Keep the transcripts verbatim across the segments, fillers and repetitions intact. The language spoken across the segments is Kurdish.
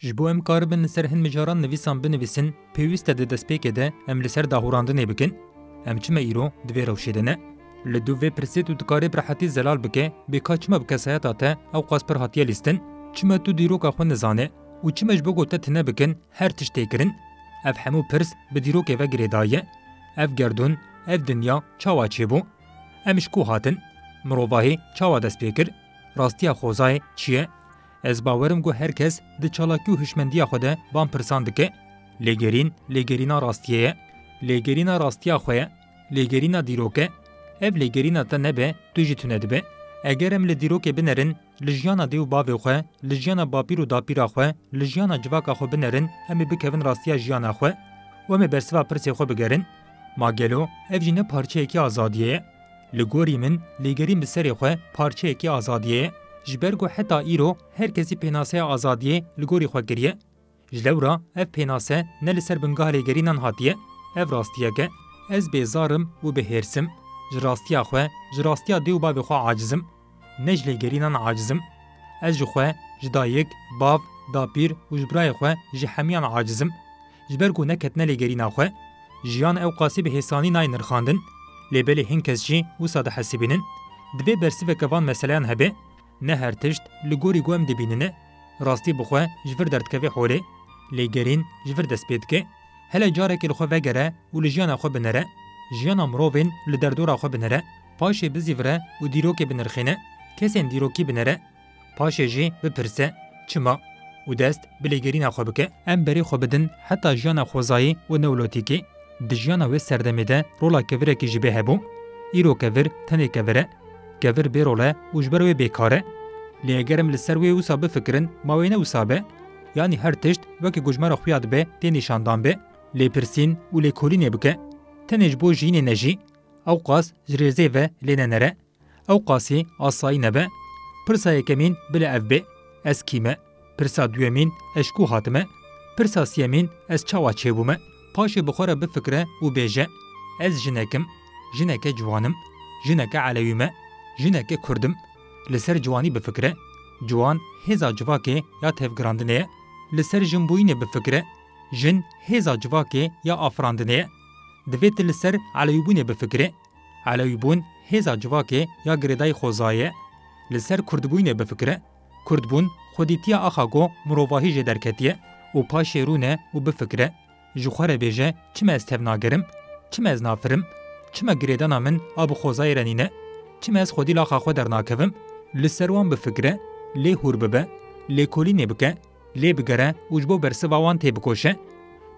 Ji bo em karibin li ser hin mijaran nivîsan binivîsin, pêwîst e di destpêkê de em li ser dahûrandinê bikin. Em çima îro di vê rewşê de ne? Li dû vê pirsê tu dikarî bi rehetî zelal bike, bê ka çima bi kesayeta te ew qas pir hatiye lîstin? Çima tu dîroka xwe nizane? Û çima ji bo ku te tune bikin, her tişt tê kirin? Ev hemû pirs bi dîrokê ve girêdayî ye. Ev gerdûn, ev dinya çawa çêbû? Em ji ku hatin? Mirovahî çawa dest pê kir? Rastiya xwezayê çi ye? Ez bawerim ku her kes di çalakî û hişmendiya xwe de van pirsan dike. Lêgerîn, lêgerîna rastiyê ye. Lêgerîna rastiya xwe ye. Lêgerîna dîrok e. Ev lêgerîna te nebe, tu jî tune dibe. Eger em li dîrokê binerin, li jiyana dê û bavê xwe, li jiyana bapîr û dapîra xwe, li jiyana civaka xwe binerin, em ê bikevin rastiya jiyana xwe û em ê bersiva pirsê xwe bigerin. Ma gelo ev jî ne parçeyekî azadiyê ye? Li gorî min, lêgerîn bi serê xwe parçeyekî azadiyê ye. Ji ber ku heta îro her kesî pênaseya azadiyê li gorî xwe kiriye. Ji lewra ev pênase ne li ser bingeha lêgerînan hatiye. Ev rastiyek e. Ez bêzar im û bi hêrs im. Ji rastiya xwe, ji rastiya dê û bavê xwe aciz im. Ne ji lêgerînan aciz im. Ez ji xwe, ji dayik, bav, dapîr û ji birayê xwe, ji hemiyan aciz im. Ji ber ku neketine lêgerîna xwe, jiyan ew qasî bi hêsanî nayê nirxandin. Lê belê hin kes jî wisa dihesibînin. Divê bersiveke van meseleyan hebe. Ne her tişt li gorî ku em dibînin e. Rastî bi xwe ji vir derdikeve holê. Lêgerîn ji vir dest pê dike. Hele carekê li xwe vegere û li jiyana xwe binere. Jiyana mirovên li derdora xwe binere. Paşê bizîvire û dîrokê binirxîne. Kesên dîrokî binere. Paşê jî bipirse, çima? Û dest bi lêgerîna xwe bike. Em berê xwe bidin heta jiyana xwezayî û newlotîkê. Di jiyana wê serdemê de rola kevirekî ji bê hebû. Îro kevir tenê kevir e. Kevir bêrol e û ji ber wê bêkar e. Lê eger em li ser wê wisa bifikirin, ma wê ne wisa be? Yanî her tişt wekî ku ji me re xuya dibe tê nîşandan be. Lêpirsîn û lêkolînê bike. Tenê ji bo jiyînê nejî. Ew qas ji rêzê ve lê nenere. Ew qasî asayî nebe. Pirsa yekemîn bile ev bê, ez kî me? Pirsa duyemîn, ez ji ku hatime? Pirsa siyemîn, ez çawa çêbûme? Paşê bi xwe re bifikire û bêje, ez jinek im, jineke ciwan im, jineke elewî me, jineke kurd im. Li ser ciwanî bifikire. Ciwan hêza civakê ya tevgirandinê ye. Li ser jinbûyînê bifikire. Jin hêza civakê ya afirandinê ye. Divê tu li ser elewîbûnê bifikire. Elewîbûn hêza civakê ya girêdayî xwezayê ye. Li ser kurdbûyînê bifikire. Kurdbûn xwedîtiya axa ku mirovahî jê derketiye û paşê rûne û bifikire. Ji xwe re bêje, çima ez tevnager im? Çima ez nafir im? Çima girêdana min a bi xwezayê re nîne? Çima ez xwedî li axa xwe dernakevim? Li ser wan bifikire, lê hûr bibe, lêkolînê bike. Lê bigere û ji bo bersiva wan têbikoşe.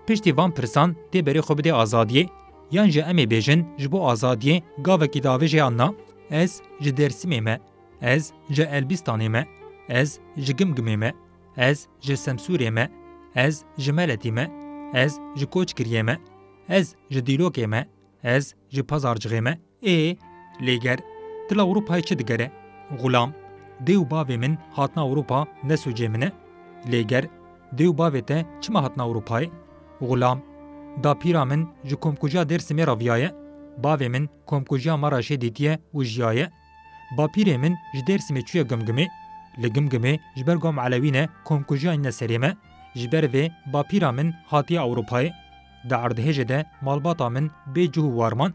Piştî van pirsan tê berê xwe bidê azadiyê, yan jî em ê bêjin ji bo azadiyê gavekî diavêje yan na. Ez ji Dêrsimê me, ez ji Elbîstanê me, ez ji Gimgimê me, ez ji Semsûrê me, ez ji Meletî me, ez ji Koçgiriyê me, ez ji Dîlokê me, ez ji Pazarcixê me. Ê, lêger, tu li Ewropayê çi digere? Xulam, dê û bavê min hatina Ewropa ne sûcê min e. Lêger, dê û bavê te çima hatina Ewropayê? Xulam, dapîra min ji komkujiya Dêrsimê re viyaye. Bavê min komkujiya Maraşê dîtiye û jiyaye. Bapîrê min ji Dêrsimê çûye Gimgimê. Li Gimgimê ji ber ku em elewî ne, komkujiya nîne serê me. Ji ber vê bapîra min hatiye Ewropayê. Di erdhêjê de malbata min bê cih û war man.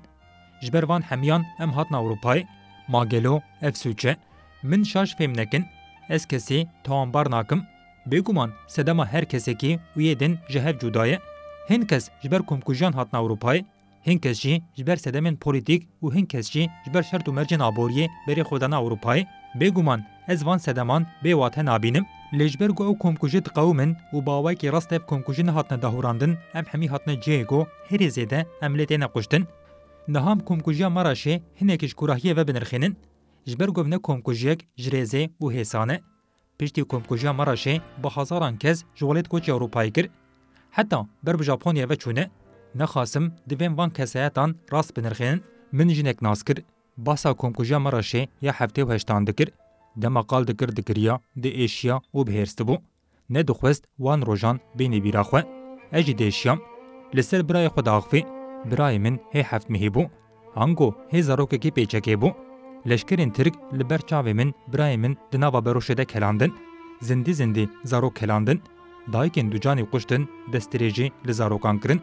Ji ber van hemiyan em hatin Ewropayê. Ma gelo ev sûc e? Min şaş fêm nekin. Ez kesê tawanbar nakim. Bêguman sedema her kesekî û yê din ji hev cuda ye. Hin kes ji ber komkujiyan hatin Ewropayê. Hin kes jî ji ber sedemên polîtîk û hin kes jî ji ber şert û mercên aboriyê berê xwe dane Ewropayê. Bêguman ez van sedeman bê wate nabînim. Lê ji ber ku ew komkujî diqewimin û bi awayekî rast ev komkujî nehatine dahûrandin, em hemî hatine cihê ku herî zêde em lê têne kuştin. Niha em komkujiya Maraşê hinekî ji kurahiyê ve binirxînin. Ji ber ku ev ne komkujiyek ji rêzê û hêsan e. Piştî komkujiya Maraşê bi hezaran kes ji welêt koçî Ewropayê kir. Heta ber bi Japonyayê ve çûne. Nexasim divên van kesayetan rast binirxînin. Min jinek nas kir. Behsa komkujiya Maraşê ya heftê û heştan dikir. Dema qal dikir dikiriya, diêşiya û bi hêrs dibû. Nedixwest wan rojan bêne bîra xwe. Ez jî diêşiyam. Li ser birayê xwe diaxivî. Birayê min hê heft mehî bû. Ango hê zarokekî pêçekê bû. Leşkerên Tirk li ber çavê min birayê min di nava beroşê de kelandin. Zindî zindî zarok kelandin. Dayikên ducanê kuştin, destdirêjî li zarokan kirin.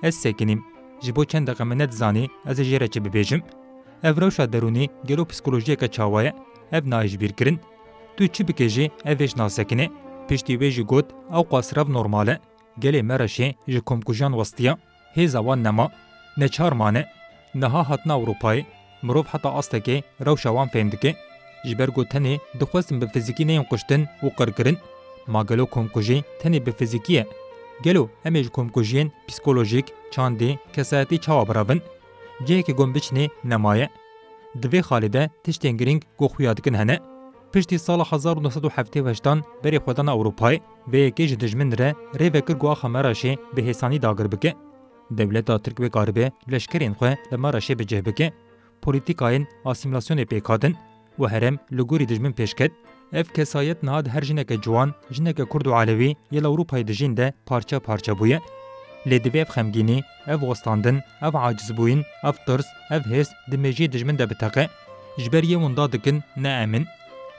Ez sekinîm. Ji bo çend deqe min nedizanî ez ê jê re çi bibêjim. Ev rewşa derûnî gelo psîkolojiyeke çawa ye? Ev nayê ji bîr kirin. Tu çi bikê jî ev hêj nasekine. Piştî wê jî got, ew qas rev normal e. Gelê Mereşê ji komkujiyan westiya, hêza wan nema. Neçar mane. Niha hatina Ewropayê, mirov heta astekê rewşa wan fêm dike. Ji ber ku tenê dixwestin bi fizîkî neyên kuştin û qirkirin. Ma gelo komkujî tenê bi fizîkî ye? Gelo em ê ji komkujiyên psîkolojîk, çandî, kesayetî çawa birevin? Cihekê ku em biçinê nemaye. Di vê xalê de tiştên girîng ku xuya dikin hene. Piştî sala hezar û neh sed û heftê û heştan berê xwedana Ewropayê, vê yekê ji dijmin re rê vekir ku axa Mereşê bi hêsanî dagir bike. Dewleta Tirk wê karibe leşkerên xwe li Mereşê bi cih bike. Polîtîkayên asîmîlasyonê pêk hatin û herêm li gorî dijmin pêş ket. Ev kesayet niha di her jineke ciwan, jineke Kurd û Elewî yê li Ewropayê dijîn de parçe parçe bûye. Lê divê ev xemgînî, ev westandin, ev acizbûyîn, ev tirs, ev hêrs di mêjiyê dijmin de biteqe. Ji ber yê winda dikin, ne em in.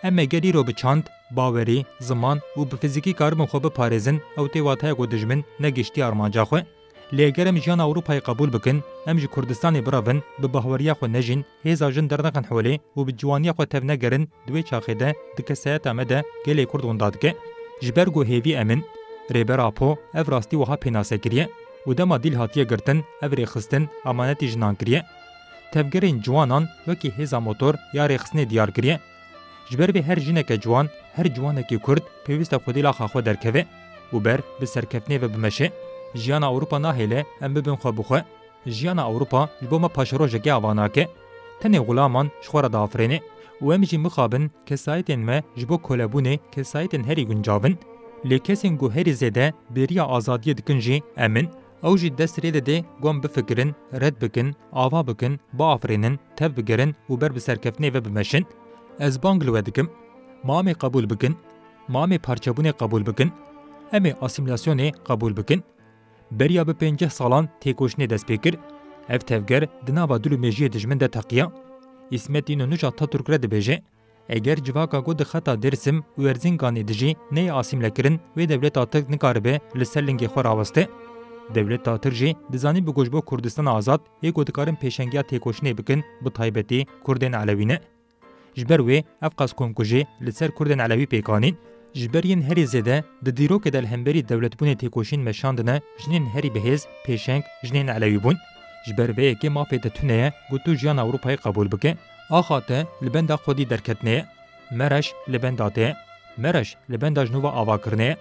Em ê ger îro bi çand, bawerî, ziman û bi fizîkî karibin xwe biparêzin, ew tê wateya ku dijmin negihiştiye armanca xwe. Lê eger em jiyana Ewropayê qebûl bikin, em ji Kurdistanê birevin, bi bahweriya xwe nejîn, hêza jin dernexin holê û bi ciwaniya xwe tevnegerin, di wê çaxê de di kesayeta me de gelê Kurd winda dike. Ji ber ku hêvî em in. Rêber Apo ev rastî wiha pênase kiriye û dema dîl hatiye girtin, ev rêxistin emanetî jinan kiriye. Tevgerên ciwanan wekî hêza motor ya rêxistinê diyar kiriye. Ji ber vê her jineke ciwan, her ciwanekî Kurd pêwîst e xwedî li axa xwe derkeve û ber bi serkeftinê ve bimeşe. Jiyana Ewropa nahêle em bibin xwe bi xwe. Jiyana Ewropa ji bo me paşerojekê ava nake. Tenê xulaman ji xwe re diafirêne û em jî mixabin kesayetên me ji bo kolebûnê kesayetên herî guncav in. Lê kesên ku herî zêde bêriya azadiyê dikin jî em in. Ew jî dest rê dide ku em bifikirin, red bikin, ava bikin, biafirînin, tev bigerin û ber bi serkeftinê ve bimeşin. Ez bang li we dikim. Ma em ê qebûl bikin. Ma em ê parçebûnê qebûl bikin. Em ê asîmîlasyonê qebûl bikin. Beriya bi pêncî salan têkoşînê dest pê kir. Ev tevger di nava dil û mêjiyê dijmin de teqiya. Îsmet Înonû ji Atatürk re dibêje, eger civaka ku di xeta Dêrsim û Erzinganê dijî neyê asîmlekirin, wê dewleta Tirk nikaribe li ser lingê xwe raweste. Dewleta Tirk jî dizanî bi ku ji bo Kurdistana azad yê ku dikarin pêşengiya têkoşînê bikin, bi taybetî Kurdên Elewî ne. Ji ber wê ev qas komkujî li ser Kurdên Elewî pêk anîn. Ji ber yên herî zêde di dîrokê de li hemberî dewletbûnê têkoşîn meşandine jinên herî bihêz, pêşeng, jinên Elewî bûn. Ji ber vê yekê mafê te tune ye ku tu jiyana Ewropayê qebûl bike. Axa te li benda xwedî derketine ye. Mereş li benda te ye. Mereş li benda ji nû ve avakirinê ye.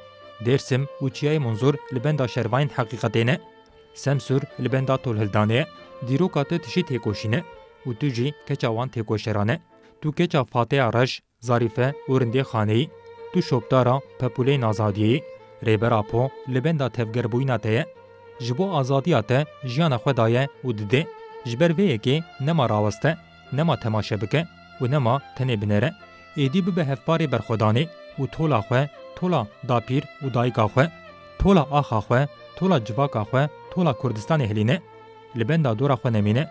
Dêrsim û Çiyayê Munzur li benda şervayên heqîqetê ne. Semsûr li benda tolhildanê ye. Dîroka te tişî têkoşîn e û tu jî keça wan têkoşeran e. Tu keça Fateya Reş, Zarîfe û Rindê Xaneyî, tu şopdara pepûleyên azadiyê yî. Rêber Apo li benda tevgerbûyîna te ye. Ji bo azadiya te jiyana xwe daye û dide. Ji ber vê yekê nema raweste, nema temaşe bike û nema tenê binere. Êdî bibe hevparê berxwedanê û tola xwe, tola dapîr û dayika xwe, tola axa xwe, tola civaka xwe, tola Kurdistanê hilîne. Li benda dora xwe nemîne.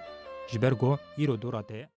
Ji ber ku îro dora te ye.